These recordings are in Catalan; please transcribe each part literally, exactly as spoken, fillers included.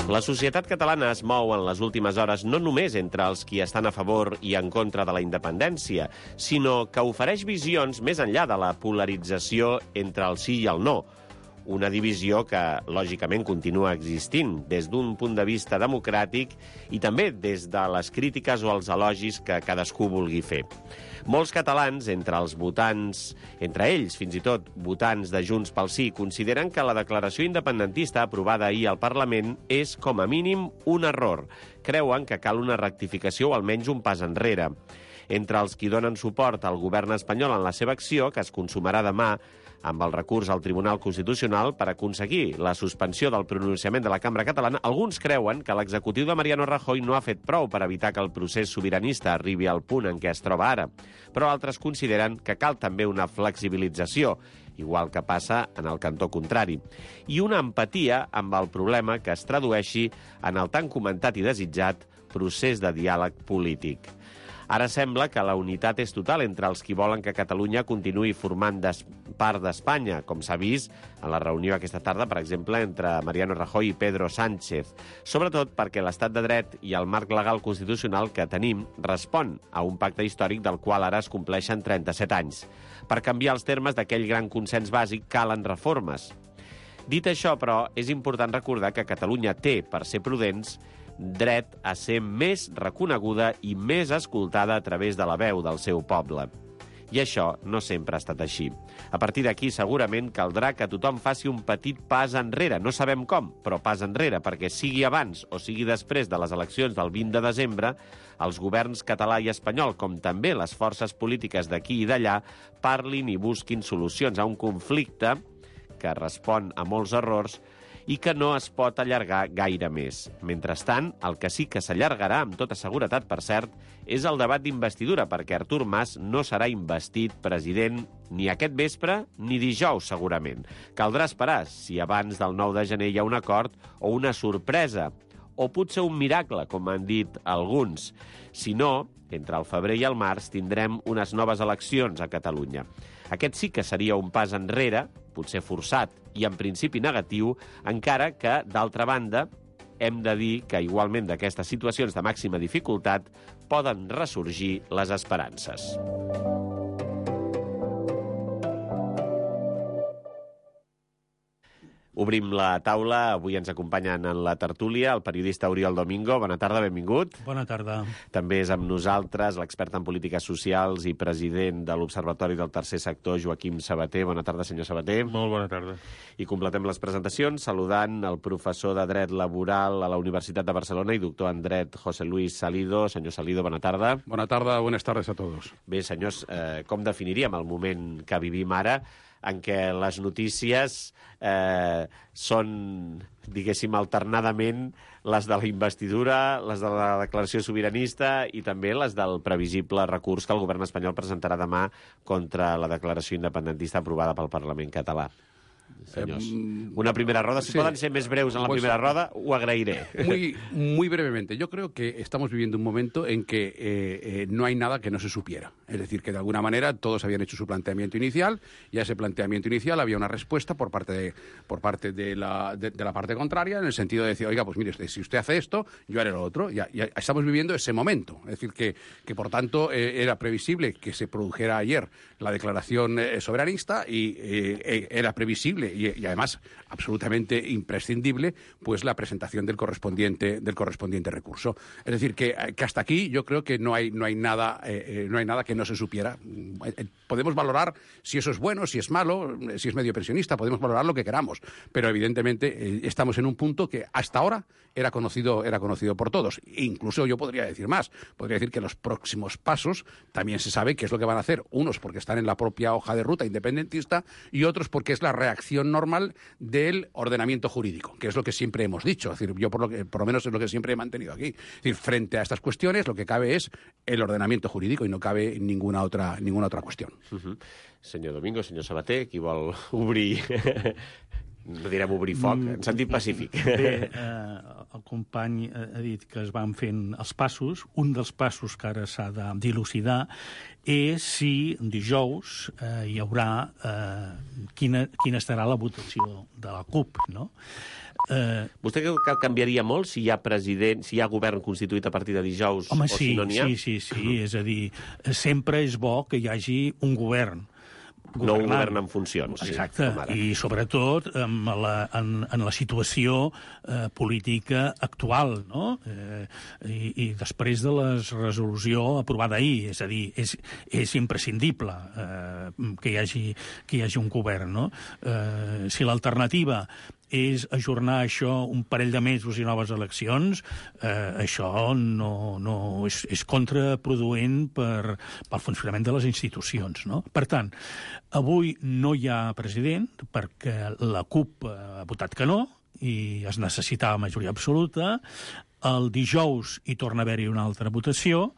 La societat catalana es mou en les últimes hores no només entre els qui estan a favor i en contra de la independència, sinó que ofereix visions més enllà de la polarització entre el sí i el no. Una divisió que, lògicament, continua existint des d'un punt de vista democràtic i també des de les crítiques o els elogis que cadascú vulgui fer. Molts catalans, entre els votants, entre ells, fins i tot, votants de Junts pel Sí, consideren que la declaració independentista aprovada ahir al Parlament és, com a mínim, un error. Creuen que cal una rectificació o almenys un pas enrere. Entre els qui donen suport al govern espanyol en la seva acció, que es consumarà demà, amb el recurs al Tribunal Constitucional per aconseguir la suspensió del pronunciament de la Cambra Catalana, alguns creuen que l'executiu de Mariano Rajoy no ha fet prou per evitar que el procés sobiranista arribi al punt en què es troba ara. Però altres consideren que cal també una flexibilització, igual que passa en el cantó contrari, i una empatia amb el problema que es tradueixi en el tan comentat i desitjat procés de diàleg polític. Ara sembla que la unitat és total entre els qui volen que Catalunya continuï formant part d'Espanya, com s'ha vist en la reunió aquesta tarda, per exemple, entre Mariano Rajoy i Pedro Sánchez. Sobretot perquè l'estat de dret i el marc legal constitucional que tenim respon a un pacte històric del qual ara es compleixen trenta-set anys. Per canviar els termes d'aquell gran consens bàsic calen reformes. Dit això, però, és important recordar que Catalunya té, per ser prudents, dret a ser més reconeguda i més escoltada a través de la veu del seu poble. I això no sempre ha estat així. A partir d'aquí, segurament, caldrà que tothom faci un petit pas enrere. No sabem com, però pas enrere, perquè sigui abans o sigui després de les eleccions del vint de desembre, els governs català i espanyol, com també les forces polítiques d'aquí i d'allà, parlin i busquin solucions a un conflicte que respon a molts errors i que no es pot allargar gaire més. Mentrestant, el que sí que s'allargarà, amb tota seguretat, per cert, és el debat d'investidura, perquè Artur Mas no serà investit president ni aquest vespre ni dijous, segurament. Caldrà esperar si abans del nou de gener hi ha un acord o una sorpresa, o potser un miracle, com han dit alguns. Si no, entre el febrer i el març tindrem unes noves eleccions a Catalunya. Aquest sí que seria un pas enrere, potser forçat i en principi negatiu, encara que, d'altra banda, hem de dir que igualment d'aquestes situacions de màxima dificultat poden ressorgir les esperances. Obrim la taula. Avui ens acompanyen en la tertúlia el periodista Oriol Domingo. Bona tarda, benvingut. Bona tarda. També és amb nosaltres l'expert en polítiques socials i president de l'Observatori del Tercer Sector, Joaquim Sabater. Bona tarda, senyor Sabater. Molt bona tarda. I completem les presentacions saludant el professor de Dret Laboral a la Universitat de Barcelona i doctor en Dret, José Luis Salido. Senyor Salido, bona tarda. Bona tarda, buenas tardes a todos. Bé, senyors, eh, com definiríem el moment que vivim ara, en què les notícies eh, són, diguéssim, alternadament les de la investidura, les de la declaració sobiranista i també les del previsible recurs que el govern espanyol presentarà demà contra la declaració independentista aprovada pel Parlament català? Señores. Una primera roda. Si sí. Pueden ser más breus en la pues, primera roda, o agrairé. Muy, muy brevemente. Yo creo que estamos viviendo un momento en que eh, eh, no hay nada que no se supiera. Es decir, que de alguna manera todos habían hecho su planteamiento inicial y a ese planteamiento inicial había una respuesta por parte de, por parte de, la, de, de la parte contraria, en el sentido de decir, oiga, pues mire, si usted hace esto, yo haré lo otro. Ya, ya estamos viviendo ese momento. Es decir, que, que por tanto eh, era previsible que se produjera ayer la declaración eh, soberanista y eh, era previsible y, y además absolutamente imprescindible pues la presentación del correspondiente del correspondiente recurso. Es decir, que, que hasta aquí yo creo que no hay no hay nada eh, no hay nada que no se supiera. Podemos valorar si eso es bueno, si es malo, si es medio pensionista, podemos valorar lo que queramos, pero evidentemente eh, estamos en un punto que hasta ahora era conocido era conocido por todos. E incluso yo podría decir más, podría decir que los próximos pasos también se sabe qué es lo que van a hacer, unos porque están en la propia hoja de ruta independentista y otros porque es la reacción normal del ordenamiento jurídico, que es lo que siempre hemos dicho. Es decir, yo por lo que por lo menos es lo que siempre he mantenido aquí. Es decir, frente a estas cuestiones lo que cabe es el ordenamiento jurídico y no cabe ninguna otra ninguna otra cuestión. Uh-huh. Senyor Domingo, senyor Sabater, qui vol obrir... no direm obrir foc, en sentit pacífic. Bé, eh, el company ha dit que es van fent els passos. Un dels passos que ara s'ha de dilucidar és si dijous eh, hi haurà eh, quina, quina estarà la votació de la CUP, no? Eh, Vostè creu que canviaria molt si hi ha president, si hi ha govern constituït a partir de dijous home, o sí, si no n'hi ha? sí, sí, sí, és a dir, sempre és bo que hi hagi un govern. No un govern en funcions. Exacte, sí, i sobretot en la, en, en la situació eh, política actual, no? Eh, i, I després de la resolució aprovada ahir, és a dir, és, és imprescindible eh, que, hi hagi, que hi hagi un govern, no? Eh, si l'alternativa és ajornar això un parell de mesos i noves eleccions, eh, això no, no és, és contraproduent per, pel funcionament de les institucions, no? Per tant, avui no hi ha president perquè la CUP ha votat que no i es necessitava majoria absoluta. El dijous hi torna a haver-hi una altra votació.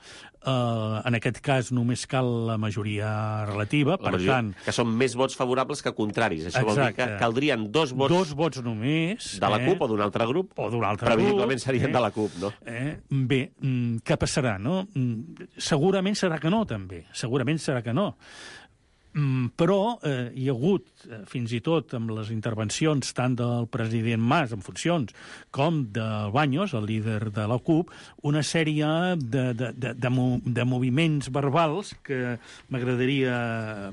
Uh, en aquest cas només cal la majoria relativa, per majoria, tant... Que són més vots favorables que contraris. Això exacte. Vol dir que caldrien dos vots... Dos vots només. De la eh? CUP o d'un altre grup? O d'un altre grup. Previsiblement serien eh? de la CUP, no? Eh? Bé, què passarà, no? Segurament serà que no, també. Segurament serà que no. Mm, però eh, hi ha hagut, eh, fins i tot amb les intervencions tant del president Mas en funcions com del Baños, el líder de la CUP, una sèrie de, de, de, de, de moviments verbals que m'agradaria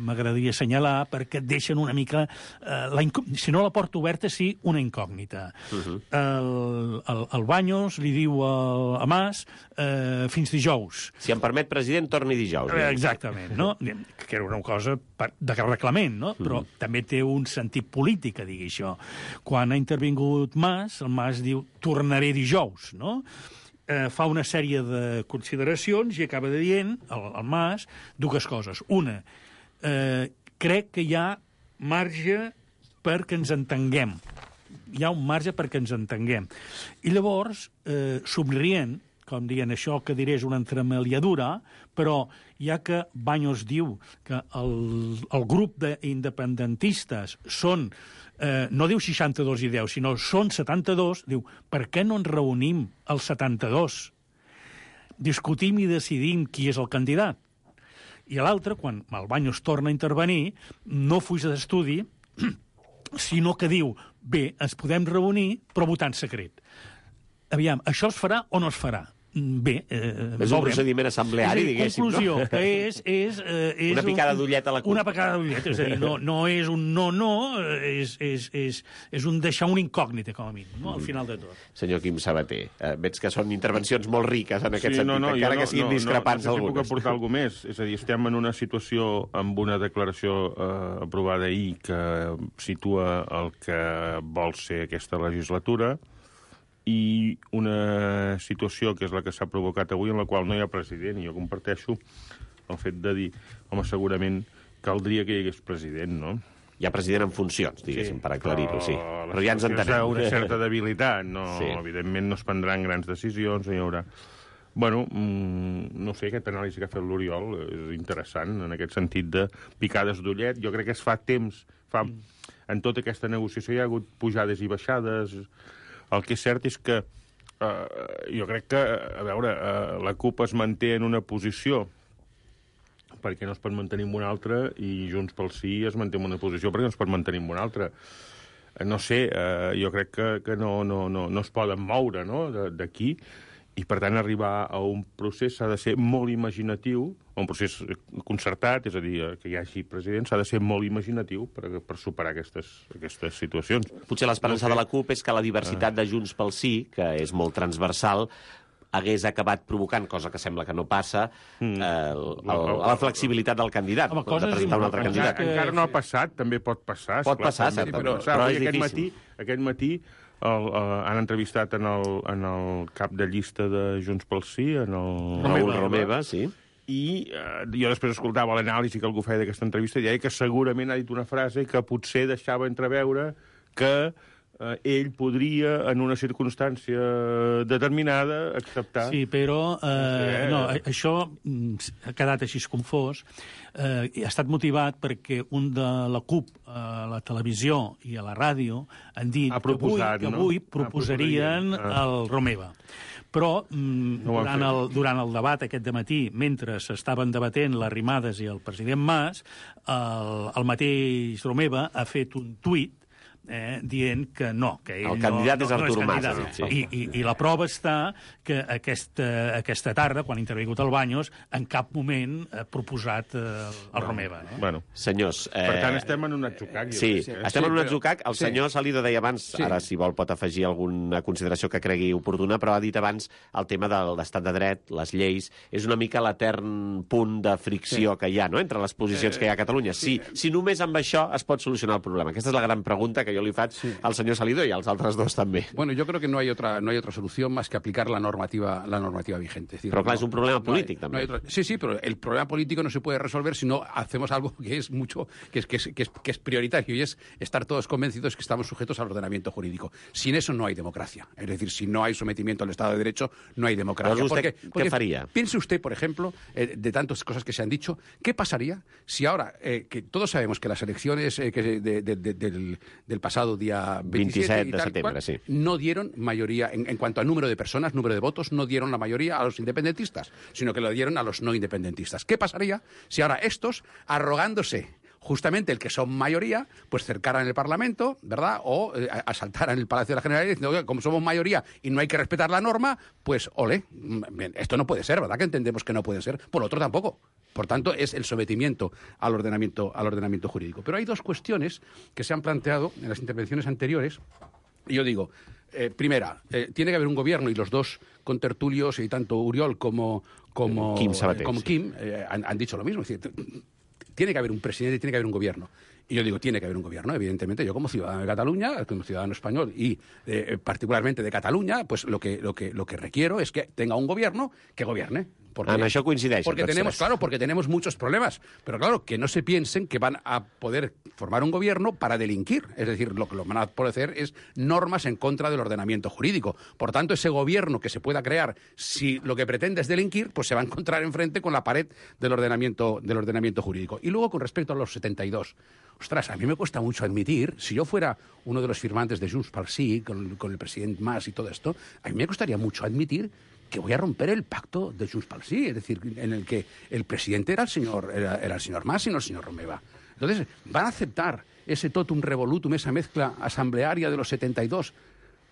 m'agradaria assenyalar perquè et deixen una mica, eh, la si no la porta oberta, sí, una incògnita. Uh-huh. el, el, el Baños li diu a, a Mas eh, fins dijous. Si em permet, president, torni dijous. Eh, exactament, no? Que era una cosa de reglament, no? Però mm. també té un sentit polític a dir això. Quan ha intervingut Mas, el Mas diu tornaré dijous, no? Eh, fa una sèrie de consideracions i acaba dient, el, el Mas, dues coses. Una, eh, crec que hi ha marge perquè ens entenguem. Hi ha un marge perquè ens entenguem. I llavors, eh, somrient, com dient això que diré és una entremaliadura, però ja que Baños diu que el, el grup d'independentistes són, eh, no diu seixanta-dos i deu, sinó són setanta-dos, diu, per què no ens reunim els setanta-dos? Discutim i decidim qui és el candidat. I l'altre, quan el Baños torna a intervenir, no fuig d'estudi, sinó que diu, bé, ens podem reunir, però votant secret. Aviam, això es farà o no es farà? Bé, eh, és un procediment assembleari, diguéssim, conclusió, no? que és, és, eh, és una picada d'ullet a la CUP. Una picada d'ullet, és a dir, no, no és un no-no, és, és, és, és un deixar un incògnita, com a mínim, no? Al final de tot. Senyor Quim Sabater, eh, veig que són intervencions molt riques en aquest sí, sentit, no, no, encara no, que siguin no, discrepants no, no, algunes. No sé si puc aportar alguna més. És a dir, estem en una situació amb una declaració eh, aprovada ahir que situa el que vol ser aquesta legislatura i una situació que és la que s'ha provocat avui en la qual no hi ha president, i jo comparteixo el fet de dir, home, segurament caldria que hi hagués president, no? Hi ha president en funcions, diguéssim, sí, per aclarir-ho, sí. Però, però ja ens entenem. Hi ha una certa debilitat, no? Sí. Evidentment no es prendran grans decisions, no hi haurà... Bueno, mmm, no sé, aquest anàlisi que ha fet l'Oriol és interessant, en aquest sentit de picades d'ullet. Jo crec que es fa temps, fa... en tota aquesta negociació hi ha hagut pujades i baixades. El que és cert és que eh, jo crec que, a veure, eh, la CUP es manté en una posició perquè no es pot mantenir en una altra i Junts pel Sí es manté en una posició perquè no es pot mantenir en una altra. Eh, no sé, eh, jo crec que, que no, no, no, no es poden moure, no?, d'aquí. I, per tant, arribar a un procés s'ha de ser molt imaginatiu, un procés concertat, és a dir, que hi hagi president, s'ha de ser molt imaginatiu per, per superar aquestes, aquestes situacions. Potser l'esperança no sé. de la CUP és que la diversitat de Junts pel Sí, que és molt transversal, hagués acabat provocant, cosa que sembla que no passa, mm. eh, el, el, la flexibilitat del candidat, Home, de presentar un altre candidat. Que... Encara no ha passat, també pot passar. Pot esclar, passar, també, certament, però, però és aquest difícil. Matí, aquest matí el, uh, han entrevistat en el, en el cap de llista de Junts pel Sí, en el... Raül Romeva, sí. I uh, jo després escoltava l'anàlisi que algú feia d'aquesta entrevista i deia que segurament ha dit una frase que potser deixava entreveure que uh, ell podria, en una circumstància determinada, acceptar... Sí, però eh, no, això ha quedat així confós. Eh, ha estat motivat perquè un de la CUP a la televisió i a la ràdio han dit proposat, que avui, que no? avui proposarien ah. el Romeva. Però mm, no durant, el, durant el debat aquest dematí, mentre s'estaven debatent les Arrimadas i el president Mas, el, el mateix Romeva ha fet un tuit eh, dient que no, que ell El candidat no, és no, no Artur és Mas, candidat. ha dit, sí. I, i, I la prova està que aquesta, aquesta tarda, quan ha intervingut el Baños, en cap moment ha proposat eh, el Romeva. Eh? Bueno, Senyors... Eh... per tant, estem en un atzucac. jo Sí, crec que- estem Sí, en un però- atzucac. El sí. senyor Salido deia abans, Sí. ara si vol pot afegir alguna consideració que cregui oportuna, però ha dit abans el tema de l'estat de dret, les lleis, és una mica l'etern punt de fricció Sí. que hi ha, no?, entre les posicions que hi ha a Catalunya. Si, si només amb això es pot solucionar el problema. Aquesta és la gran pregunta que jo li faig Sí. al senyor Salido i als altres dos també. Bueno, yo creo que no hay otra no hay otra solución más que aplicar la normativa la normativa vigente. Es decir, Pero claro, no- es un problema no hay- político no también. hay otra- sí, sí, pero el problema político no se puede resolver si no hacemos algo que es mucho que es que es, que es, que es prioritario y es estar todos convencidos que estamos sujetos al ordenamiento jurídico. Sin eso no hay democracia. Es decir, si no hay sometimiento al Estado de Derecho, no hay democracia. Pero usted, Porque- ¿qué porque faría? Piense usted, por ejemplo, eh, de tantas cosas que se han dicho, ¿qué pasaría si ahora, eh, que todos sabemos que las elecciones eh, que de- de- de- del, del pasado día veintisiete veintisiete y de tal septiembre, cual, sí. no dieron mayoría, en, en cuanto a número de personas, número de votos, no dieron la mayoría a los independentistas, sino que lo dieron a los no independentistas? ¿Qué pasaría si ahora estos, arrogándose justamente el que son mayoría, pues cercaran el Parlamento, ¿verdad? O eh, asaltaran el Palacio de la Generalidad diciendo, "Oiga, como somos mayoría y no hay que respetar la norma, pues ole, mm, bien, esto no puede ser, ¿verdad? Que entendemos que no puede ser. Por lo otro tampoco. Por tanto, es el sometimiento al ordenamiento, al ordenamiento jurídico. Pero hay dos cuestiones que se han planteado en las intervenciones anteriores. Y yo digo, eh, primera, eh, tiene que haber un gobierno y los dos contertulios, y tanto Uriol como, como Kim Sabater, como sí. Kim eh, han, han dicho lo mismo. Es decir, t- tiene que haber un presidente y tiene que haber un gobierno. Y yo digo, tiene que haber un gobierno, evidentemente. Yo como ciudadano de Cataluña, como ciudadano español y eh, particularmente de Cataluña, pues lo que, lo, que, lo que requiero es que tenga un gobierno que gobierne. Porque, En això coincideixen porque tots tenemos, tres. claro, porque tenemos muchos problemas. Pero claro, que no se piensen que van a poder formar un gobierno para delinquir. Es decir, lo que lo van a poder hacer es normas en contra del ordenamiento jurídico. Por tanto, ese gobierno que se pueda crear, si lo que pretende es delinquir, pues se va a encontrar enfrente con la pared del ordenamiento, del ordenamiento jurídico. Y luego, con respecto a los setenta y dos, ostras, a mí me cuesta mucho admitir, si yo fuera uno de los firmantes de Junts pel Sí, con, con el presidente Mas y todo esto, a mí me costaría mucho admitir que voy a romper el pacto de Junts pel Sí, es decir, en el que el presidente era el señor, era, era el señor Mas y no el señor Romeva. Entonces, ¿van a aceptar ese totum revolutum, esa mezcla asamblearia de los setenta y dos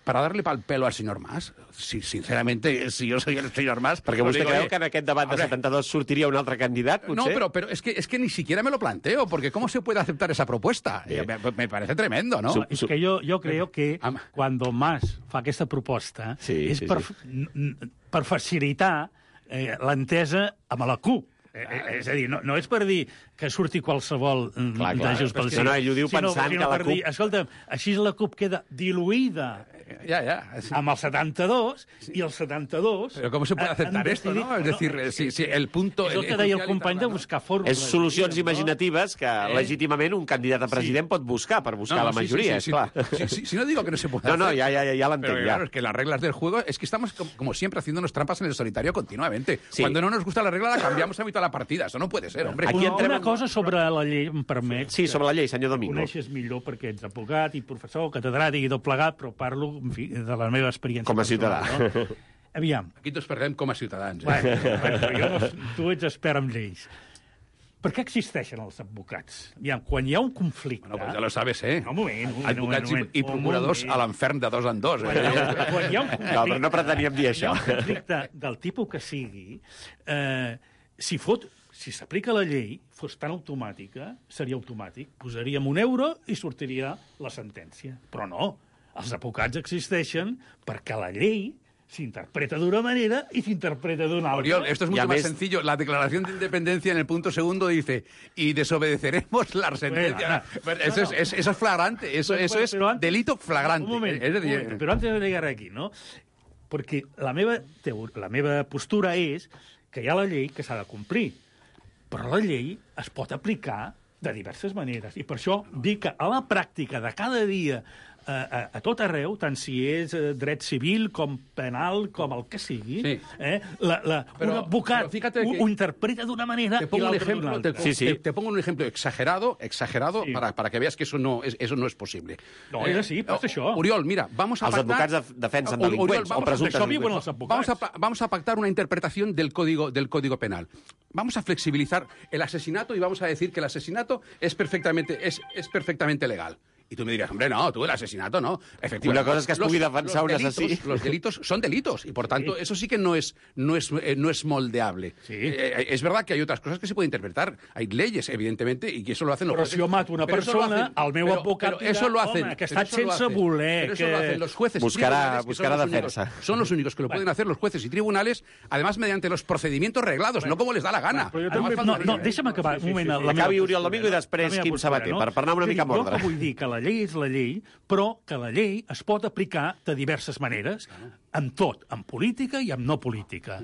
para darle pal pelo al señor Mas? Si, sinceramente, si yo soy el señor Mas... Perquè pues vostè digo, creu oye, que en aquest debat de hombre, setanta-dos sortiria un altre candidat, potser? no, pero, pero es, que, es que ni siquiera me lo planteo, porque ¿cómo se puede aceptar esa propuesta? Bien. Me, me parece tremendo, ¿no? Su- És que jo, jo creo que Am- quan Mas fa aquesta proposta Sí, és sí, per, sí. n- n- per facilitar eh, l'entesa amb la CUP. Eh, eh, és a dir, no, no és per dir que surti qualsevol mm, Clar, clar. de Junts pel No, Sí. no, ell ho diu sinó, pensant sinó que la per CUP- dir, escolta, així la CUP queda diluïda Ya, ya. Sí. amb el setanta-dos i el setanta-dos... Pero ¿cómo se puede han- aceptar han esto, decidit- no? Es decir, si, si el punto... És el que deia el company de buscar fórmules. És solucions diguem, no? imaginatives que Eh? legítimament un candidat a president pot buscar per buscar la sí, majoria, sí, sí, és clar. sí, sí, sí, si no digo que no se puede No, no, hacer. ja, ja, ja, ja l'entenc, Pero ja. claro, es que las reglas del juego es que estamos como, como siempre haciéndonos trampas en el solitario continuamente. Sí. Cuando no nos gusta la regla la cambiamos a mitad de la partida. Eso no puede ser, hombre. Aquí Una, entrem una en- cosa sobre la llei, em permet... Sí, sobre la llei, senyor que Domingo. coneixes millor perquè ets advocat i professor, catedràtic i tot plegat, però parlo, en fi, de la meva experiència. Com a ciutadà. personal, No? Aviam, Aquí tots parlem com a ciutadans. Eh? bueno, bueno, però jo no, tu ets expert en lleis. Per què existeixen els advocats? Aviam, quan hi ha un conflicte... Bueno, pues ya lo sabes, ¿eh? No, un moment, un moment, Advocats un moment, i, i un procuradors moment. a l'infern de dos en dos. Quan hi Eh? ha, quan hi ha un conflicte, No, però no preteníem dir quan hi ha això. un conflicte del tipus que sigui, eh, si fot, si s'aplica la llei, fos tan automàtica, seria automàtic. Posaríem un euro i sortiria la sentència. Però no, els advocats existeixen perquè la llei s'interpreta d'una manera i s'interpreta d'una altra. Oriol, esto es Y mucho a más mes- sencillo. La declaración de independencia en el punto segundo dice y desobedeceremos la sentencia. Bueno, Bueno, eso, no, no. es, es- eso es flagrante, eso, Pero- eso pero- es pero antes- delito flagrante. Un moment, Es decir, un moment, però antes de llegar aquí, no? Perquè la meva, teo- la meva postura és que hi ha la llei que s'ha de complir, però la llei es pot aplicar de diverses maneres. I per això dic que a la pràctica de cada dia, a, a, a tot arreu, tant si és eh, dret civil com penal, com el que sigui, Sí. eh, la, la, Pero- un advocat pero fíjate ho, que- ho interpreta d'una manera Te i pongo un l'altra d'una ejemplo, te, altra. Sí, sí. te- te pongo un ejemplo exagerado, exagerado Sí. para, para que veas que eso no es, eso no es posible. No, és així, però és això. Oriol, mira, vamos a Els pactar... advocats def- defensen Oriol, delinqüents, vamos- o presumptes Això viuen delinqüents. els advocats. Vamos a, pa- vamos a pactar una interpretación del código, del código penal. Vamos a flexibilizar el asesinato y vamos a decir que el asesinato es perfectamente, es, es perfectamente legal. Y tú me dirías, hombre, no, tú el asesinato no. Efectivamente. Una cosa es que es pugui defensar un delitos, asesí. Los delitos son delitos y, por tanto, eso sí que no es, no es, eh, no es moldeable. Sí. Eh, es verdad que hay otras cosas que se pueden interpretar. Hay leyes, evidentemente, y que eso lo hacen los Però jueces. si jo mato una Pero eso lo persona, hacen- el meu pero- advocat pero eso dirà, lo hacen, home, que ha pero estat eso lo sense hacen- voler, pero eso que- lo hacen los jueces y Buscará- tribunales, que buscará son los únicos- defensa. Son los únicos que lo pueden hacer, los jueces y tribunales, además mediante los procedimientos reglados, no como les da la gana. Però jo Además, també... faltaría, No, no, eh? deixa'm acabar un moment. La meva Acabi Oriol postura, Domingo i no? després La meva Quim postura, Sabater, per- per anar una És a dir, mica amb ordre. Jo que vull dir que la llei és la llei, però que la llei es pot aplicar de diverses maneres, amb tot, en política i en no política.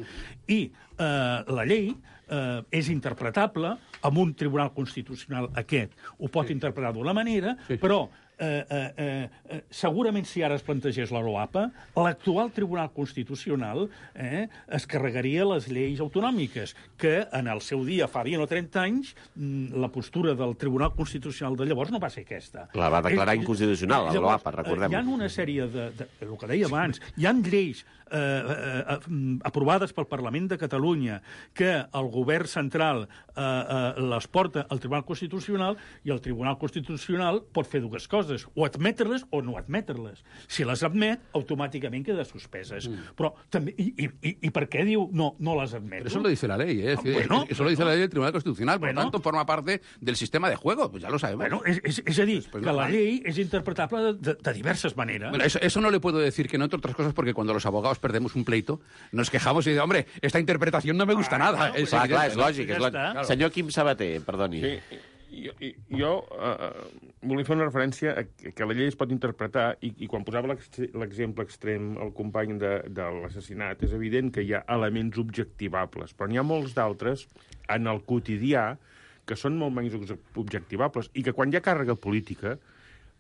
I eh, la llei eh, és interpretable amb un tribunal constitucional aquest. Ho pot interpretar d'una manera, però eh, eh, eh, eh, segurament si ara es plantegés la LOAPA, l'actual Tribunal Constitucional eh, es carregaria les lleis autonòmiques, que en el seu dia, fa vint o trenta anys, mm, la postura del Tribunal Constitucional de llavors no va ser aquesta. La va declarar És- inconstitucional, la llavors, LOAPA, recordem-ho. Hi ha una sèrie de, de, el que deia abans, hi ha lleis eh, eh, eh, aprovades pel Parlament de Catalunya que el govern central eh, eh, les porta al Tribunal Constitucional i el Tribunal Constitucional pot fer dues coses, o admetre-les o no admetre-les. Si les admet, automàticament queda suspeses. Mm. Però també... I, i, I per què diu no, no les admeto? Pero eso lo dice la ley, ¿eh? Es decir, Bueno, eso lo dice la ley del Tribunal Constitucional, por Bueno. tanto forma parte del sistema de juego, pues ya lo sabemos. Bueno, és, és, és a dir, Després que no la val. llei és interpretable de, de, de diverses maneres. Bueno, eso, eso no le puedo decir que no, entre otras cosas, porque cuando los abogados perdemos un pleito, nos quejamos y decimos, hombre, esta interpretación no me gusta nada. pues Es Clar, clar, evidente, és ¿no? lògic, és Ja lògic. està. Senyor Quim Sabater, perdoni. Sí, jo, jo uh, volia fer una referència a que que la llei es pot interpretar i, i quan posava l'ex- l'exemple extrem el company de, de l'assassinat, és evident que hi ha elements objectivables, però n'hi ha molts d'altres en el quotidià que són molt menys objectivables i que quan hi ha càrrega política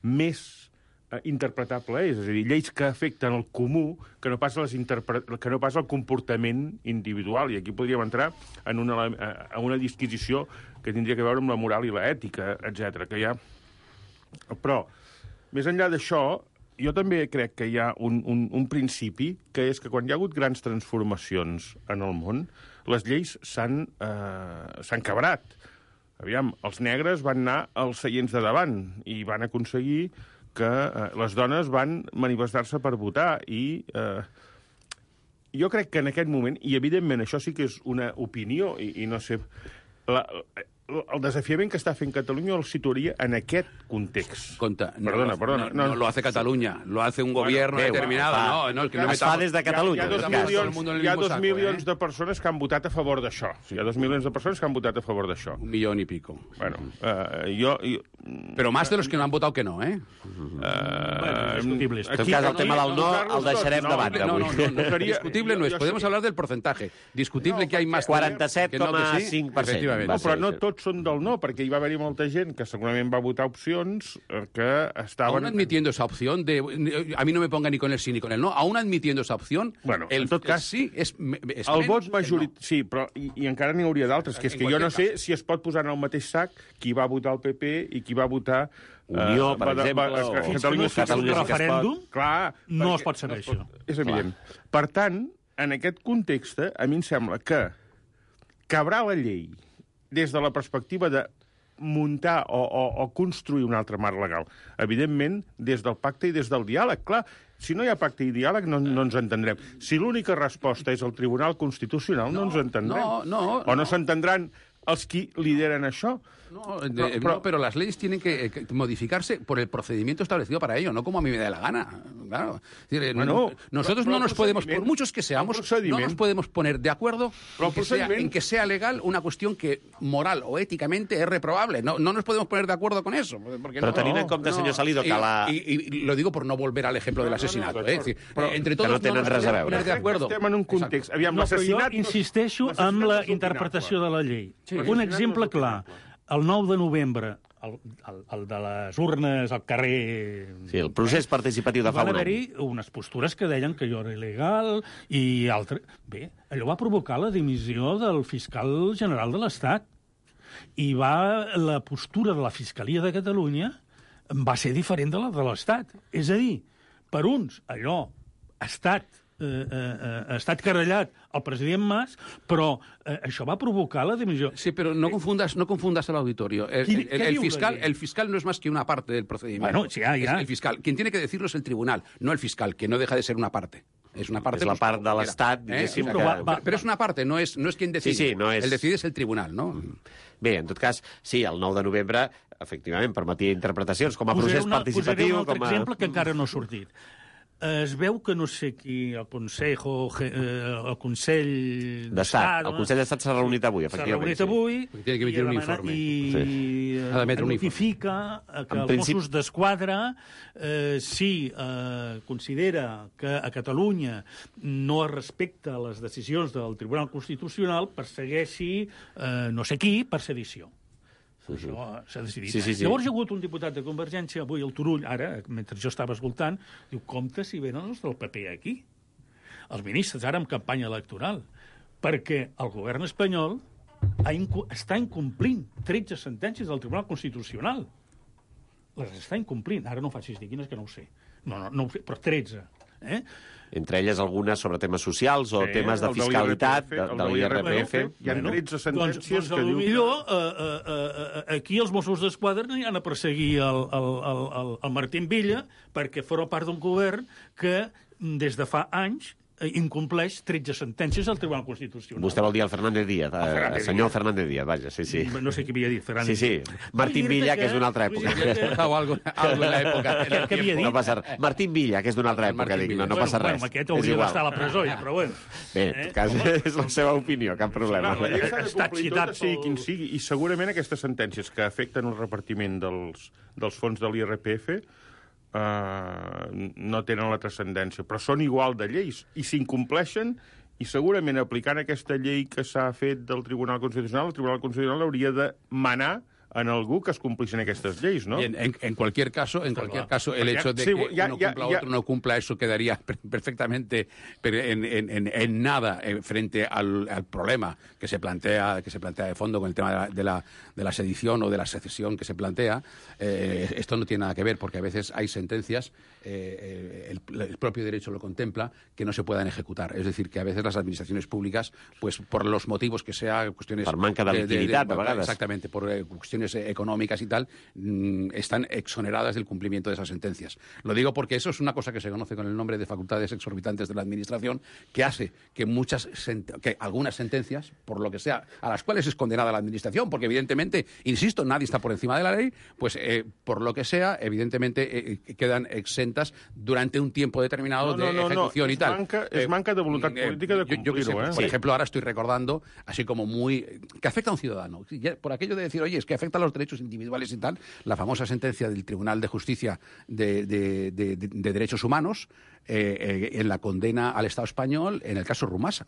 més eh, interpretable és, és a dir, lleis que afecten el comú que no pas, les interpre... que no pas el comportament individual, i aquí podríem entrar en una, en una disquisició que tindria que veure amb la moral i l'ètica, etcètera, que hi ha... Però, més enllà d'això, jo també crec que hi ha un, un, un principi, que és que quan hi ha hagut grans transformacions en el món, les lleis s'han eh, s'han cabrat. Aviam, els negres van anar als seients de davant i van aconseguir que eh, les dones van manifestar-se per votar i eh, jo crec que en aquest moment, i evidentment això sí que és una opinió i, i no sé... La, el desafiament que està fent Catalunya el situaria en aquest context. Conta, no, Perdona, lo- perdona. No, no lo hace Cataluña, lo hace un gobierno bé, determinado. fa- no, no, es que no es fa metamos- des de Catalunya, Hi ha, hi ha en dos tot cas. Todo el milions, mundo en el hi ha mismo dos saco, milions ¿eh? de persones que han votat a favor d'això. Hi ha dos milions de persones que han votat a favor d'això. Un millón y pico. Bueno, eh, jo... jo Pero más de los que no han votado que no, ¿eh? Bueno, discutible. En tot cas, el tema del no el deixarem de banda No, avui. no, no, no, Seria- discutible no jo- es. jo Podemos sé- hablar del porcentaje. Discutible No, que hay más... quaranta-set que no, que coma sí. cinc per cent. Efectivament. Va No, però ser, no sí. tots són del no, perquè hi va haver-hi molta gent que segurament va votar opcions eh, que estaven... Aún admitiendo esa opción, de, a mí no me ponga ni con el sí ni con el no, aún admitiendo esa opción, Bueno, el, en tot cas, el sí es, me- es El menos vot que el majoritari... no. Sí, però i, i encara n'hi hauria d'altres, que és En que jo no qualsevol sé si es pot posar en el mateix sac qui va votar el P P i qui va votar... Unió, per va- va- exemple, va- o- que Fins que no Catalunya es fa un Catalunya sí que es referèndum, Clar, no perquè es pot saber això. És evident. Per tant, en aquest context, a mi em sembla que cabrà la llei des de la perspectiva de muntar o, o, o construir un altre marc legal. Evidentment, des del pacte i des del diàleg. Clar, si no hi ha pacte i diàleg, no, no ens entendrem. Si l'única resposta és el Tribunal Constitucional, no, No, ens entendrem. no, no, o no, no. s'entendran els qui lideren això. No, de- Pero- no, pero- pero las leyes tienen que, que modificarse por el procedimiento establecido para ello, no como a mí me dé la gana. Claro. Es decir, Bueno, no- nosotros pero- no pero nos podemos, procedimiento- por muchos que seamos, el no procedimiento- nos podemos poner de acuerdo Pero en que, el sea, procedimiento- en que sea legal una cuestión que moral o éticamente es reprobable. No, no nos podemos poner de acuerdo con eso. Porque Però no, tenint en compte, senyor Salido, que y, la- y- y lo digo por no volver al ejemplo del No, no, no, asesinato. d'acord. ¿eh? Es decir, Però- eh, entre que todos no tenen nos res a podemos veure. poner de acuerdo. Estem en un context. Aviam, No, però jo l'assassinat... insisteixo l'assassinat en la és opinable. interpretació de la llei. Sí, Un l'assassinat exemple és clar. opinable. El nou de novembre, el, el, el de les urnes al carrer... Sí, el procés participatiu de fa Van un any. haver-hi unes postures que deien que allò era il·legal i altres... Bé, allò va provocar la dimissió del fiscal general de l'Estat. I va, la postura de la Fiscalia de Catalunya va ser diferent de la de l'Estat. És a dir, per uns, allò ha estat eh, eh, ha estat querellat el president Mas, però eh, això va provocar la dimissió. Sí, pero no confundas, no confundas al auditorio. El, ¿Qué- el- qué el diu la fiscal, ley? el fiscal no es más que una parte del procedimiento. Bueno, sí, ya, ya. Es el fiscal. Quien tiene que decirlo es el tribunal, no el fiscal, que no deja de ser una parte. Es una parte. És la pues, part de como l'Estat, quiera, ¿eh? diguéssim, O sea, que- va- va- Pero es una parte, no es, no es quien decide. Sí, sí, no és- El decide es el tribunal, ¿no? Bé, en tot cas, sí, el nou de novembre, efectivament, permetia interpretacions com a Posaré procés una, posaré participatiu, un altre com a... exemple que encara no ha sortit. Es veu que no sé qui, el Consejo, eh, el Consell d'Estat. El Consell d'Estat s'ha reunit avui, s'ha efectivament. reunit sí. avui Perquè tiene que emitir i un demana- informe. i Sí. eh, Ha d'emetre un informe. notifica eh, que En els principi- Mossos d'Esquadra, eh, si eh, considera que a Catalunya no es respecta les decisions del Tribunal Constitucional, persegueixi eh, no sé qui per sedició. Això s'ha decidit. Sí, sí, sí. Llavors hi ha hagut un diputat de Convergència, avui al Turull, ara, mentre jo estava escoltant, diu, compte si venen els del P P aquí. Els ministres, ara en campanya electoral, perquè el govern espanyol ha incu està incomplint tretze sentències del Tribunal Constitucional. Les està incomplint. Ara no facis dir quines, que no ho sé. No, no, no ho sé, però tretze. Eh? Entre elles algunes sobre temes socials o Sí, temes de el de fiscalitat, l'I R P F, de, el de de l'I R P F. l'I R P F. Hi ha tretze sentències doncs, doncs, que diu que- Millor, eh, eh, eh, aquí els Mossos d'Esquadra no hi han a perseguir el, el, el, el, el Martín Villa perquè forma part d'un govern que des de fa anys eh, incompleix tretze sentències al Tribunal Constitucional. Vostè vol dir el Fernández Díaz, eh, Fernández el senyor Díaz. Fernández Díaz, vaja, sí, sí. No sé qui havia dit, Fernández. Sí, sí. Martín Vull dir-te Villa, que és d'una altra època. vull dir-te que- O algo, algo en la época. en el Què havia tiempo. dit? No passa res. Martín Villa, que és d'una altra El època, Martín dic, no, Villa. no passa bueno, res. Bueno, aquest És hauria igual. d'estar a la presó, ja, però bueno. Bé, en tot cas, és la seva opinió, cap problema. Clar, la llei s'ha de Està complir excitat tota, sigui pel- quin sigui, i segurament aquestes sentències que afecten el repartiment dels, dels fons de l'I R P F eh, no tenen la transcendència, però són igual de lleis, i s'incompleixen, i segurament aplicant aquesta llei que s'ha fet del Tribunal Constitucional, el Tribunal Constitucional hauria de manar en algú que es complissin aquestes lleis, ¿no? Bien, en, en cualquier caso, en cualquier caso, el Porque hecho de sí, que ya- uno ya- cumpla ya- otro no cumpla, eso quedaría per- perfectamente pero en, en- en- en nada eh, frente al, al problema que se plantea que se plantea de fondo con el tema de la, de la, de la sedición o de la secesión que se plantea. Eh, esto no tiene nada que ver, porque a veces hay sentencias, eh, el, el propio derecho lo contempla, que no se puedan ejecutar. Es decir, que a veces las administraciones públicas, pues por los motivos que sea, cuestiones... Per manca de liquiditat, a vegades. Exactamente, por eh, cuestiones eh, económicas y tal, mm, están exoneradas del cumplimiento de esas sentencias. Lo digo porque eso es una cosa que se conoce con el nombre de facultades exorbitantes de la Administración, que hace que muchas sent- que algunas sentencias, por lo que sea, a las cuales es condenada la Administración, porque evidentemente, insisto, nadie está por encima de la ley, pues eh, por lo que sea, evidentemente eh, quedan exentas durante un tiempo determinado No, no, de no, no, ejecución y es tal. manca- es manca de voluntad política de yo- yo qué sé, cumplirlo, ¿eh? Por Sí. ejemplo, ahora estoy recordando, así como muy... que afecta a un ciudadano. Ya, por aquello de decir, oye, es que afecta a los derechos individuales y tal, la famosa sentencia del Tribunal de Justicia de, de- de- de- de Derechos Humanos eh, eh, en la condena al Estado español en el caso Rumasa.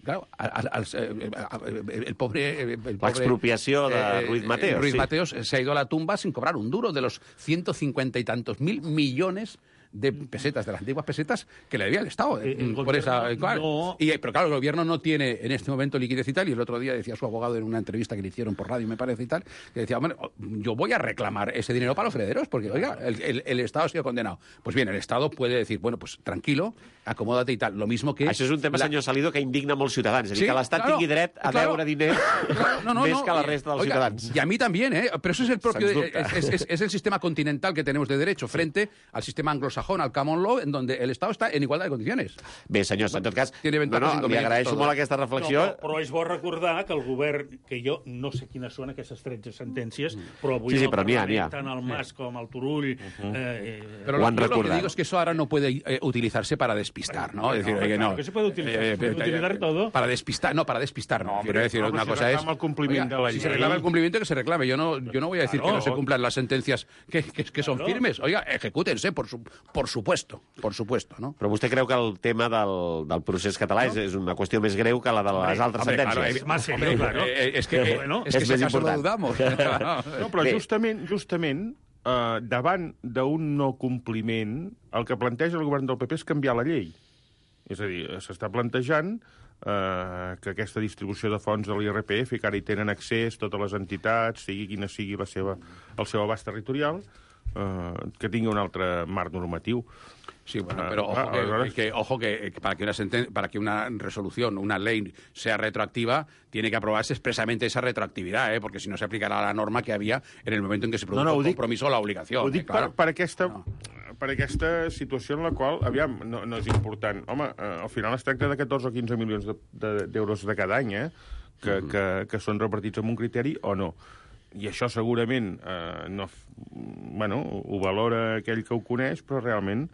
Claro, al, al- al- eh, eh, el pobre... el pobre, L'expropiació de Ruiz Mateos, Ruiz sí. Mateos se ha ido a la tumba sin cobrar un duro de los ciento cincuenta y tantos mil millones de pesetas, de las antiguas pesetas, que le debía el Estado. Eh, el por gobierno esa, claro. no- Y, eh, pero claro, el gobierno no tiene en este momento liquidez y tal, y el otro día decía su abogado en una entrevista que le hicieron por radio, me parece, y tal, que decía, hombre, yo voy a reclamar ese dinero para los herederos, porque, oiga, el, el- el Estado ha sido condenado. Pues bien, el Estado puede decir, bueno, pues tranquilo, acomódate y tal. Lo mismo que... Això és un tema, la- senyor Salido, que indigna molts ciutadans. És a dir, Sí, que l'Estat claro, tingui dret a claro. deure diners Claro, no, no, més no, que la y- resta dels oiga, ciutadans. Y a mí también, ¿eh? Pero eso es el propio... Sens dubte. Es, es- es el sistema continental que tenemos de derecho frente al sistema anglosajón, al common law, en donde el Estado está en igualdad de condiciones. Bé, senyors, en tot cas, Tiene no, ventajas no, i li inconvenientes agraeixo tot. molt aquesta reflexió. No, però, però és bo recordar que el govern, que jo no sé quines són aquestes tretze sentències, però avui Sí, sí, el però n'hi ha, n'hi ha. Parlament, tant el Mas com el Turull... eh, eh, Pero Lo lo, han yo lo que recordado. digo es que eso ahora no puede eh, utilizarse para despistar, ¿no? Es decir, hombre, oye, claro no. que se puede utilizar, se puede utilizar todo. Para despistar, no, para despistar, no. Quiero decir, home, una si cosa es... reclama el compliment de la si se ley. reclama el cumplimiento, que se reclame. Yo no, yo no voy a decir Claro. que no se cumplan las sentencias que, que, que son Claro. firmes. Oiga, ejecútense, por, su, por supuesto, por supuesto, ¿no? Però vostè creu que el tema del, del procés català és, és una qüestió més greu que la de les altres Hombre, claro, sentències? eh, Más serio, claro. eh, es que, Pero eh, bueno, es que es si més acaso lo important. dudamos. No, però Bé. justament, justament eh, davant d'un no compliment, el que planteja el govern del P P és canviar la llei. És a dir, s'està plantejant eh, que aquesta distribució de fons de l'I R P F, que ara hi tenen accés totes les entitats, sigui quina sigui la seva, el seu abast territorial, eh, que tingui un altre marc normatiu. Sí, bueno, pero ojo que, que, ojo que, que para que una senten para que una resolución, una ley sea retroactiva, tiene que aprobarse expresamente esa retroactividad, ¿eh? Porque si no se aplicará la norma que había en el momento en que se produjo no, no, el compromiso o la obligació. Ho dic eh, claro. per, per, aquesta, no. per aquesta situació en la qual, aviam, no, no és important. Home, eh, al final es tracta de catorze o quinze milions d'euros de, de, de cada any, eh? Que, mm. que, que són repartits amb un criteri o no. I això segurament eh, no, bueno, ho valora aquell que ho coneix, però realment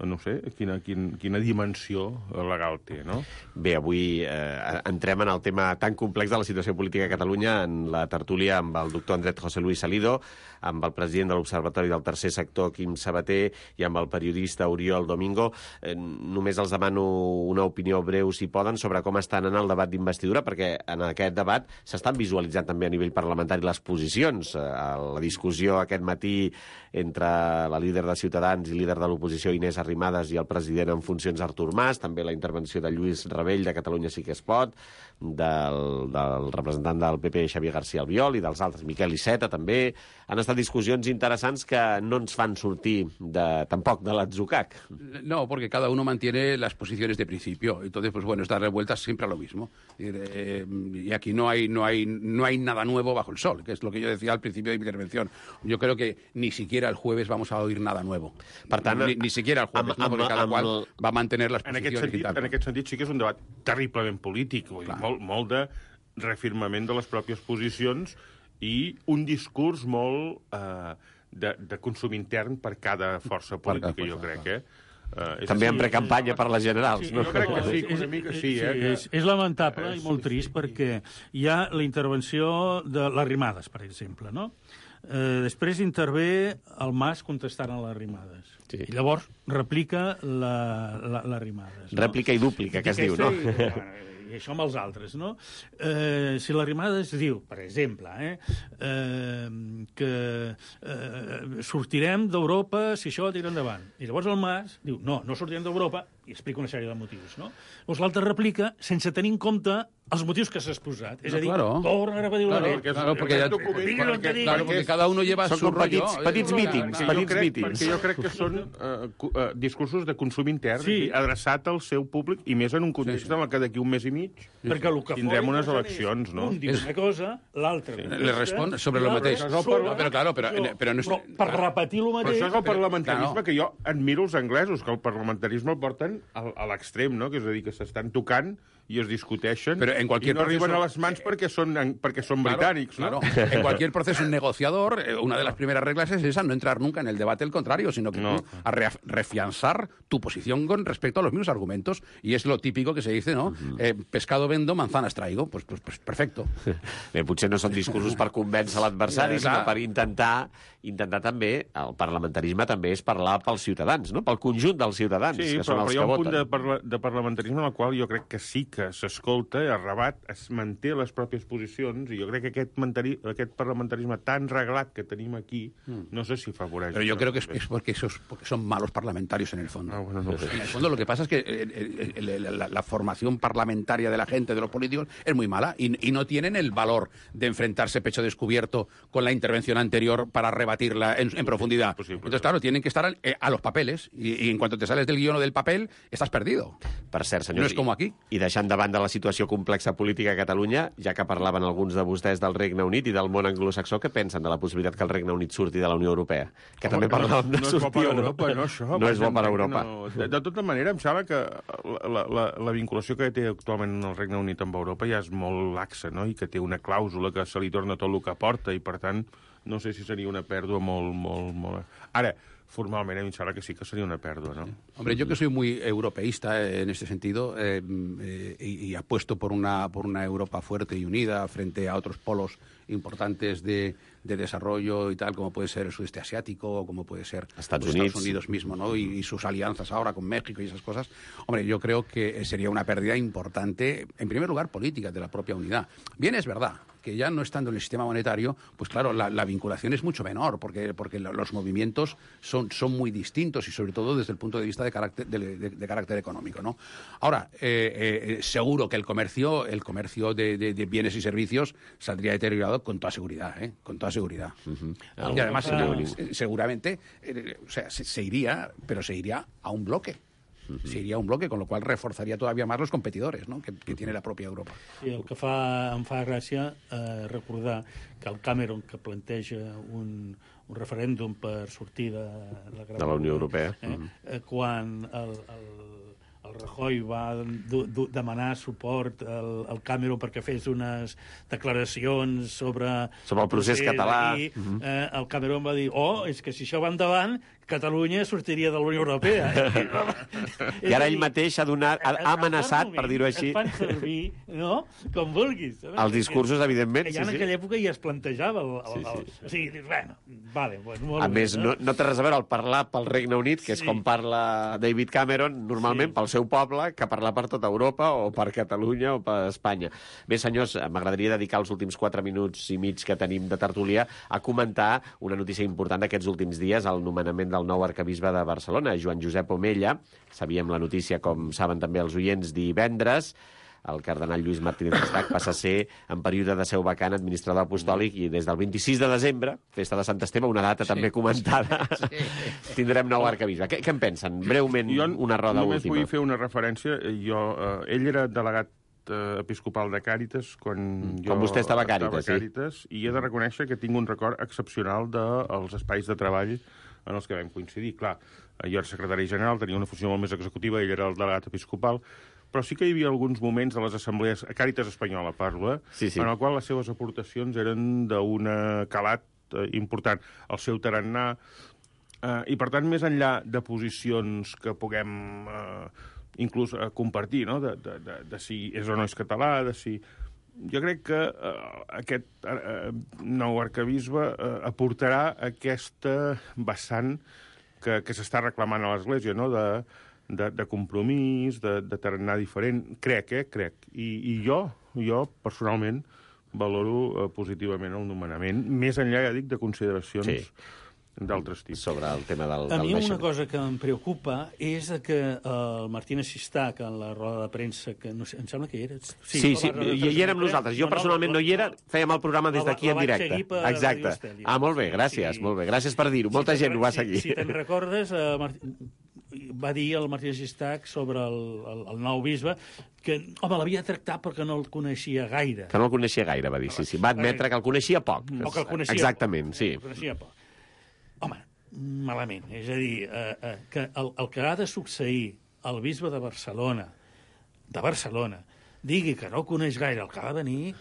no sé, quina, quina, quina dimensió legal té, no? Bé, avui eh, entrem en el tema tan complex de la situació política a Catalunya en la tertúlia amb el doctor Andrés José Luis Salido, amb el president de l'Observatori del Tercer Sector, Quim Sabater, i amb el periodista Oriol Domingo. Eh, només els demano una opinió breu, si poden, sobre com estan en el debat d'investidura, perquè en aquest debat s'estan visualitzant també a nivell parlamentari les posicions. Eh, la discussió aquest matí entre la líder de Ciutadans i líder de l'oposició, Inés Arrimadas, i el president en funcions, Artur Mas, també la intervenció de Lluís Rebell, de Catalunya Sí que es pot, del, del representant del P P, Xavier García Albiol, i dels altres, Miquel Iceta, també. Han estat discussions interessants que no ens fan sortir de, tampoc de l'atzucac. No, porque cada uno mantiene las posiciones de principio. Entonces, pues bueno, es darle vueltas siempre a lo mismo. Eh, y aquí no hay, no, hay, no hay nada nuevo bajo el sol, que es lo que yo decía al principio de mi intervención. Yo creo que ni siquiera el jueves vamos a oír nada nuevo. Per tant, ni, ni siquiera el jueves, amb, no? Porque cada amb, qual el... va a mantener las posiciones. En aquest, sentit, y tal. en aquest sentit sí que és un debat terriblement polític, vull dir, molt, molt de reafirmament de les pròpies posicions i un discurs molt eh, de, de consum intern per cada força política, per cada força, jo crec, eh? Uh, També en sí, precampanya sí, per les generals, sí, no? Jo crec que sí, que una mica sí, sí, eh? Sí, és, és lamentable i molt trist perquè hi ha la intervenció de l'Arrimadas, per exemple, no? Eh, després intervé el Mas contestant a l'Arrimadas. Sí. I llavors replica l'Arrimadas. No? Rèplica i dúplica, que es diu, no? I això amb els altres, no? Eh, si l'Arrimadas diu, per exemple, eh, eh, que eh, sortirem d'Europa si això tira endavant. I llavors el Mas diu, no, no sortirem d'Europa, i explica una sèrie de motius, no? Llavors l'altre replica sense tenir en compte els motius que s'ha exposat. És no, a dir, claro. torna a repetir-ho. Claro, porque, claro, porque, ya, porque, claro, porque cada uno lleva són su petits, rollo. Petits eh, mítings, clar, petits crec, mítings. Perquè jo crec que són uh, uh, discursos de consum intern, sí. adreçat al seu públic, i més en un context sí, sí. en què d'aquí un mes i mig sí, perquè el que tindrem unes eleccions, no? Un diu una cosa, l'altre... Sí. Le respon sobre lo mateix. Sobre, no, però, claro, però, sobre, però no és... però per repetir lo mateix... Però això és el parlamentarisme però, que jo admiro els anglesos, que el parlamentarisme el porten a, a l'extrem, no? Que és a dir, que s'estan tocant i es discuteixen pero en cualquier y no proceso, arriben a las mans porque son, porque son claro, británicos, ¿no? Claro. En cualquier proceso negociador, una de las primeras reglas es esa, no entrar nunca en el debate del contrario, sino que no. tú a refianzar tu posición con respecto a los mismos argumentos. Y es lo típico que se dice, ¿no? Uh-huh. Eh, pescado vendo, manzanas traigo. Pues, pues, pues perfecto. Bé, potser no són discursos per convèncer l'adversari, sinó per intentar, intentar també, el parlamentarisme també és parlar pels ciutadans, no? Pel conjunt dels ciutadans, sí, que són però, els però que voten. Sí, però hi ha un punt de, parla, de parlamentarisme en el qual jo crec que sí que s'escolta, es rebat, es manté les pròpies posicions, i jo crec que aquest, mantari, aquest parlamentarisme tan reglat que tenim aquí, no sé si favoreix. Pero yo creo que es, es porque, esos, porque son malos parlamentarios en el fondo. Ah, bueno, no sé. En el fondo lo que pasa es que el, el, el, la, la formación parlamentaria de la gente, de los políticos, es muy mala y, y no tienen el valor de enfrentarse pecho descubierto con la intervención anterior para rebatirla en, en profundidad. Posible, Entonces, claro, tienen que estar a, a los papeles y, y en cuanto te sales del guion o del papel, estás perdido. Per cert, senyors, no és com aquí. I deixant de banda la situació complexa política a Catalunya, ja que parlaven alguns de vostès del Regne Unit i del món anglosaxó, què pensen de la possibilitat que el Regne Unit surti de la Unió Europea? Que Home, també parlàvem de no sortir és bo per o no. Europa, no, això. No és bo per Europa. No. De, de tota manera, em sembla que la, la, la vinculació que té actualment el Regne Unit amb Europa ja és molt laxa, no? I que té una clàusula que se li torna tot el que porta, i per tant, no sé si seria una pèrdua molt, molt, molt... Ara, formalment, a mi em sembla que sí que sería una pérdida, ¿no? Hombre, yo que soy muy europeísta en este sentido eh, eh, y, y apuesto por una, por una Europa fuerte y unida frente a otros polos importantes de, de desarrollo y tal, como puede ser el sudeste asiático o como puede ser Estados, pues, Unidos. Estados Unidos mismo, ¿no? Y, y sus alianzas ahora con México y esas cosas. Hombre, yo creo que sería una pérdida importante, en primer lugar, política, de la propia unidad. Bien, es verdad que ya no estando en el sistema monetario, pues claro, la, la vinculación es mucho menor, porque, porque los movimientos son, son muy distintos y sobre todo desde el punto de vista de carácter, de, de, de carácter económico, ¿no? Ahora, eh, eh, seguro que el comercio, el comercio de, de, de bienes y servicios saldría deteriorado con toda seguridad, ¿eh? Con toda seguridad. Uh-huh. Y además, ah. seguramente, eh, o sea, se, se iría, pero se iría a un bloque. Uh-huh. Se iria a un bloque, con lo qual reforzaria todavía más los competidors, no? que, que uh-huh. tiene la pròpia Europa. Sí, el que fa, em fa gràcia eh, recordar que el Cameron, que planteja un, un referèndum per sortir de la, de la Unió Europea, eh, uh-huh. eh, quan el, el, el Rajoy va du, du, demanar suport al, al Cameron perquè fes unes declaracions sobre, sobre el procés, procés català, aquí, uh-huh. eh, el Cameron va dir, oh, és que si això va endavant, Catalunya sortiria de la Unió Europea. I ara ell mateix ha, donat, ha amenaçat, per dir-ho així... Es fan servir, no?, com vulguis. Els discursos, evidentment, ja sí, en sí. aquella època ja es plantejava... El, el, sí, sí. el, o sigui, dius, bueno, vale, pues, molt a bé, més, no, no té res a veure el parlar pel Regne Unit, que és sí. com parla David Cameron, normalment sí. pel seu poble, que parlar per tota Europa, o per Catalunya, o per Espanya. Bé, senyors, m'agradaria dedicar els últims quatre minuts i mig que tenim de tertúlia a comentar una notícia important d'aquests últims dies, el nomenament del nou arcabisbe de Barcelona, Joan Josep Omella. Sabíem la notícia, com saben també els oients, divendres. El cardenal Lluís Martínez Estac passa a ser, en període de seu vacant, administrador apostòlic, i des del vint-i-sis de desembre, festa de Sant Esteve, una data sí, també comentada, sí. tindrem nou arcabisbe. Què, què en pensen? Breument, jo una roda només última. Només vull fer una referència. Jo, eh, ell era delegat episcopal de Càritas quan mm, jo com vostè estava a Càritas, estava a Càritas sí. I he de reconèixer que tinc un record excepcional dels espais de treball en els que vam coincidir. Clar, jo era secretari general, tenia una funció molt més executiva, ell era el delegat episcopal, però sí que hi havia alguns moments de les assemblees, a Càritas Espanyola parlo, eh, sí, sí. en el qual les seves aportacions eren d'un calat eh, important. El seu tarannà, eh, i per tant, més enllà de posicions que puguem eh, inclús eh, compartir, no?, de, de, de, de si és o no és català, de si... Jo crec que eh, aquest eh, nou arcabisbe eh, aportarà aquesta vessant que, que s'està reclamant a l'Església, no?, de, de, de compromís, de, de tarannà diferent. Crec, eh? Crec. I, i jo, jo, personalment, valoro eh, positivament el nomenament, més enllà, ja dic, de consideracions... Sí. d'altres tips. Sobre el tema del, a del mi naixement. Una cosa que em preocupa és que el Martínez Sistac, en la roda de premsa, que no sé, em sembla que hi era... Sí, sí, sí hi, hi érem nosaltres. Jo personalment no hi era, fèiem el programa des d'aquí en directe. Exacte. Ah, molt bé, gràcies, sí. molt bé. Gràcies per dir-ho. Molta sí, gent ho va seguir. Si, si te'n recordes, eh, Martí... va dir el Martínez Sistac sobre el, el, el nou bisbe que, home, l'havia tractat perquè no el coneixia gaire. Que no el coneixia gaire, va dir, sí, sí. Va admetre que el coneixia poc. O que el coneixia Exactament, poc. sí. El coneixia poc. Home, malament. És a dir, eh, eh, que el, el que ha de succeir al bisbe de Barcelona, de Barcelona, digui que no coneix gaire el que ha de venir,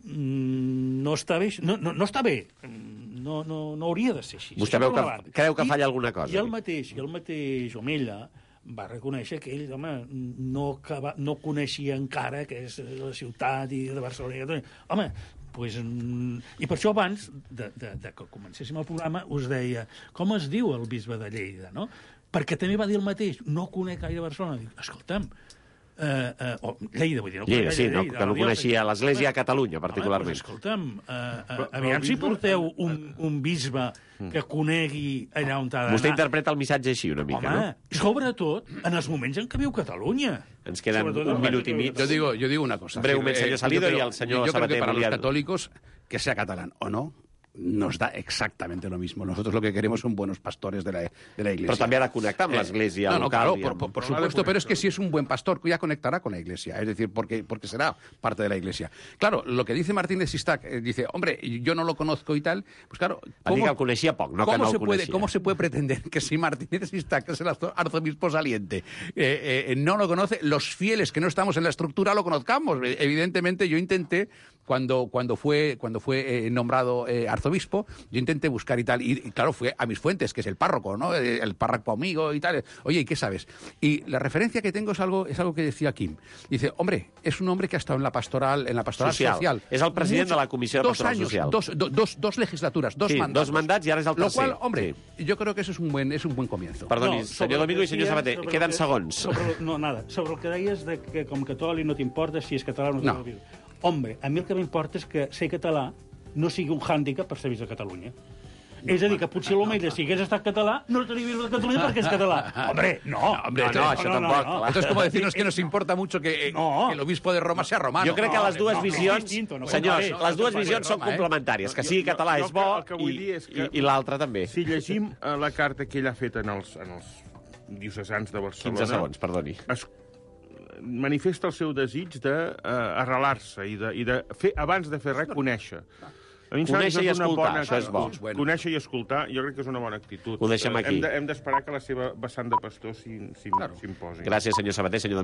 no està bé. No, no, no està bé. No, no, no hauria de ser així. Vostè veu que, creu que falla alguna cosa? I el mateix, i el mateix Omella va reconèixer que ell, home, no, acaba, no coneixia encara que és la ciutat i de Barcelona. Home, pues, i per això abans de, de, de que comencéssim el programa us deia, com es diu el bisbe de Lleida, no? Perquè també va dir el mateix, no conec gaire Barcelona. Dic, escolta'm, Uh, uh, o Lleida, vull dir, no Lleida, sí, no, que no coneixia l'Església a Catalunya, particularment. Home, doncs, escolta'm, uh, uh, aviam si porteu un, un bisbe que conegui allà on ha d'anar. Vostè interpreta el missatge així una mica, home, no? Sobretot en els moments en què viu Catalunya. Ens queden sobretot un minut i mig. Yo digo, yo digo una cosa. Breument, senyor Salido, y al señor Yo creo que para Sabater los católicos, que sea catalán o no, nos da exactamente lo mismo. Nosotros lo que queremos son buenos pastores de la, de la Iglesia. Pero también ha de conectar con la Iglesia eh, no, no, local. Claro, por, por, por supuesto, pero es que si es un buen pastor, ya conectará con la Iglesia. Es decir, porque, porque será parte de la Iglesia. Claro, lo que dice Martínez Sistac, eh, dice, hombre, yo no lo conozco y tal, pues claro... ¿cómo, que el coneixia poc, no que no el se coneixia. Puede, ¿Cómo se puede pretender que si Martínez Sistac, que es el arzobispo saliente, eh, eh, no lo conoce, los fieles que no estamos en la estructura lo conozcamos? Evidentemente, yo intenté, cuando, cuando fue, cuando fue eh, nombrado eh, arzobispo, yo intenté buscar y tal, y, y claro, fue a mis fuentes, que es el párroco, ¿no? El, el párroco amigo y tal. Oye, ¿y qué sabes? Y la referencia que tengo es algo, es algo que decía Kim. Dice, hombre, es un hombre que ha estado en la pastoral, en la pastoral social. social. Es el president Mucho, de la Comissió de Pastoral años, Social. Dos, do, dos, dos legislaturas, dos sí, mandatos. dos mandats i ara és el tercer. Lo cual, hombre, sí. yo creo que eso es un buen, es un buen comienzo. Perdoni, no, senyor Domingo i senyor Sabater, queden que, segons. Sobre, no, nada. Sobre el que deies de que com catòlic no t'importa si és català o no. no. home, a mi el que m'importa és que ser català no sigui un hàndicap per ser vist a Catalunya. No, és a dir, que potser l'Almeida, si hagués estat català, no estaria vist a Catalunya perquè és català. Hombre, no. No, hombre, no, no, això tampoc. no. Esto es como decirnos que nos importa mucho que, eh, No. que el obispo de Roma sea romano. Jo crec que les dues no, visions, és distinto, no senyors, compareix. les dues No, visions són Roma, eh? complementàries. Que Jo- sigui jo- català jo és bo el que vull i, dir és que- i, i l'altre també. Si llegim eh, la carta que ell ha fet en els, en els diocesans de Barcelona... quinze segons, perdoni. Es manifesta el seu desig d'arrelar-se i, de, i de fer, abans de fer res, conèixer. A mi em sembla que Conèixer i és una escoltar, bona això és bo. actitud. Conèixer i escoltar, jo crec que és una bona actitud. Ho deixem Eh, aquí. Hem de- hem d'esperar que la seva vessant de pastor s'hi- s'hi- Claro. s'imposi. Gràcies, senyor Sabater. Senyor